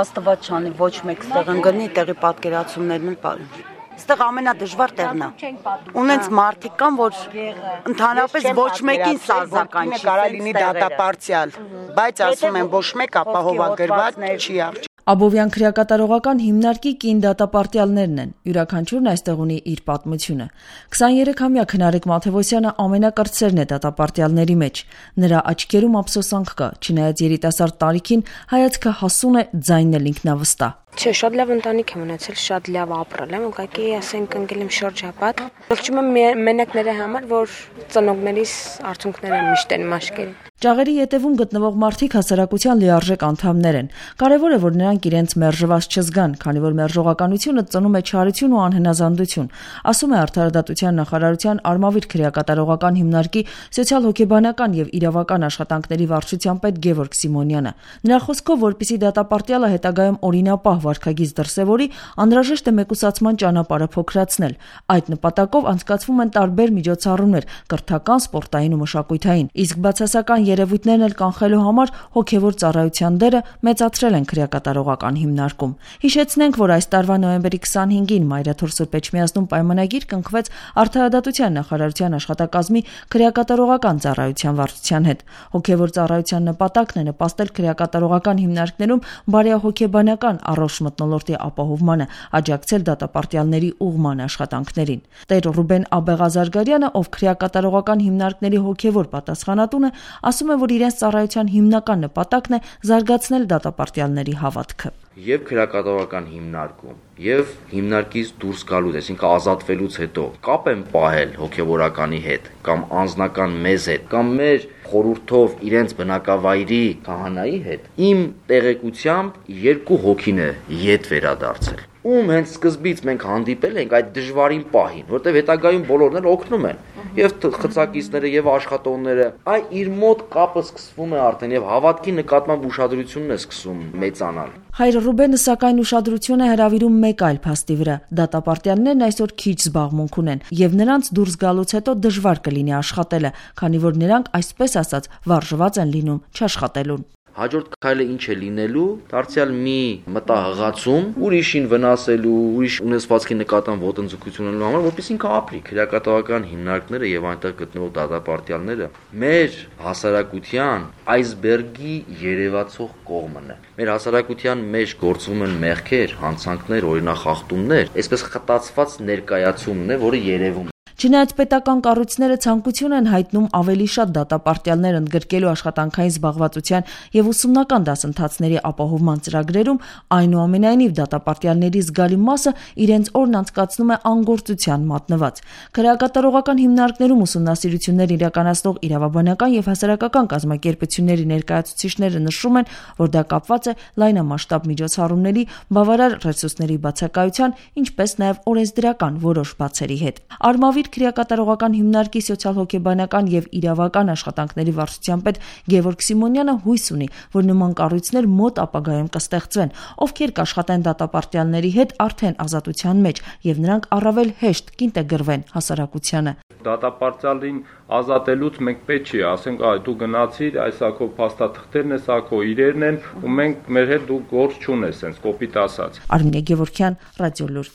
Աստված չանի, ոչ մեկ ստեղ ընկնի, տեղի պատկերացումներն էլ Ստեղ ամենադժվար տեղն է։ Ունենց մարդիկ կան, որ ընդհանրապես ոչ մեկին սազական չի։ Կարա լինի դատապարտյալ, բայց ասում են ոչ մեկ ապահովագրված չի արժի։ Աբովյան քրեակատարողական հիմնարկի կին դատապարտյալներն են, յուրաքանչյուրն այստեղ ունի իր պատմությունը։ 23-ամյա Քնարեկ Մաթևոսյանը ամենակրտսերն է դատապարտյալների մեջ։ Նրա աչքերում ափսոսանք կա, չնայած երիտասարդ տարիքին հայացքը հասուն է, ձայնն էլ ինքնավստահ։ Չէ, շատ լավ ընտանիք եմ ունեցել, շատ լավ ապրել եմ, ուղղակի ասենք ընկել եմ շրջապատ։ Ողջում եմ մենակ նրա համար, որ ծնողներիս արցունքները միշտ են մաշկել։ Ճաղերի ետևում գտնվող մարդիկ հասարակության լիարժեք անդամներ են։ Կարևոր է, որ նրանք իրենց մերժված չզգան, քանի որ մերժողականությունը ծնում է չարություն ու անհնազանդություն, ասում է Արդարադատության նախարարության Արմավիր քրեակատարողական հիմնարկի սոցիալ-հոգեբանական եւ իրավական աշխատանքների վարչության պետ Գևորգ Սիմոնյանը։ Նրա խոսքով, որպեսզի դատապարտյալը հետագայում օրինապահ վարքագիծ դրսևորի, անհրաժեշտ է մեկուսացման ճանապարհը փոքրացնել։ Այդ նպատակով անցկացվում են տարբեր միջոցառումներ՝ կրթական, սպորտային ու մշակութային, իսկ բացասական երևույթներն էլ կանխելու համար հոգևոր ծառայության դերը մեծացրել են քրեակատարողական հիմնարկում։ Հիշեցնենք, որ այս տարվա նոյեմբերի 25-ին Մայրաթոր Սուրբ Էջմիածնում պայմանագիր կնքվեց Արդարադատության նախարարության աշխատակազմի քրեակատարողական ծառայության վարչության հետ։ Հոգևոր ծառայության նպատակն է նպաստել քրեակատարողական հիմնարկներում բարեհոգեբանական առողջ մթնոլորտի ապահովմանը, աջակցել դատապարտյալների ուղղման աշխատանքներին։ Տեր Ռուբեն Աբեղազարգարյանը, ով քրեակատարողական հիմնարկների հոգևոր պատասխանատուն է, ասում է, որ իրենց ծառայության հիմնական նպատակն է զարգացնել դատապարտյալների հավատքը։ Եվ քրեակատարողական հիմնարկում, եւ հիմնարկից դուրս գալուց, այսինքն ազատվելուց հետո կապ են պահել հոգևորականի հետ, կամ անձնական մեզ հետ, կամ մեր խորհրդով իրենց բնակավայրի քահանայի հետ, իմ տեղեկությամբ 2 հոգին է ետ վերադարձել։ Ում հենց սկզբից մենք հանդիպել ենք այդ դժվարին պահին, որտեղ հետագայում բոլորն էլ օգնում են, եւ խցակիցները եւ աշխատողները, իր մոտ կապը սկսվում է արդեն եւ հավատքի նկատմամբ ուշադրությունն է սկսում մեծանալ։ Հայր Ռուբենը սակայն ուշադրություն է հրավիրում մեկ այլ փաստի վրա։ Դատապարտյալներն այսօր քիչ զբաղմունք ունեն, եւ նրանց դուրս գալուց հետո դժվար կլինի աշխատելը, քանի որ նրանք այսպես ասած վարժված են լինում չաշխատելուն։ Հաջորդ քայլը ինչ է լինելու, դարձյալ մի մտահղացում, ուրիշին վնասելու, ուրիշ ունեցվածքի նկատմամբ ոտնձգություն ունենալու համար, որպես ինքը ապրի։ Քրեակատարողական հիմնարկները եւ այնտեղ գտնվող դատապարտյալները մեր հասարակության այսբերգի երևացող կողմն է։ Մեր հասարակության մեջ գործվում են մեղքեր, հանցանքներ, օրինախախտումներ, այսպես խտացված ներկայացումն է, որը երևում է։ Չնայած պետական կառույցները ցանկություն են հայտնում ավելի շատ դատապարտյալներ ընդգրկելու աշխատանքային զբաղվածության եւ ուսումնական դասընթացների ապահովման ծրագրերում, այնուամենայնիվ դատապարտյալների զգալի մասը իրենց օրն անցկացնում է անգործության մատնված։ Քրեակատարողական հիմնարկներում ուսումնասիրություններ իրականացնող իրավաբանական եւ հասարակական կազմակերպությունների ներկայացուցիչները նշում են, որ դա կապված է լայնամասշտաբ միջոցառումների, բավարար ռեսուրսների բացակայության, ինչպես նաեւ օրենսդրական որոշ բացերի հետ։ Արմավիր քրեակատարողական հիմնարկի սոցիալ-հոգեբանական եւ իրավական աշխատանքների վարչության պետ Գևորգ Սիմոնյանը հույս ունի, որ նման կառույցներ մոտ ապագայում կստեղծվեն, ովքեր կաշխատեն դատապարտյալների հետ արդեն ազատության մեջ եւ նրանք առավել հեշտ կինտեգրվեն հասարակությանը։ Դատապարտյալին ազատելուց մենք պետք չի ասենք, դու գնացիր, այս ակո փաստաթղթերն ես, ակո իրերն են, ու մենք մեր հետ դու գործ չունես, sense կոպիտ ասած։ Արմինե Գևորգյան, Ռադիոլուր։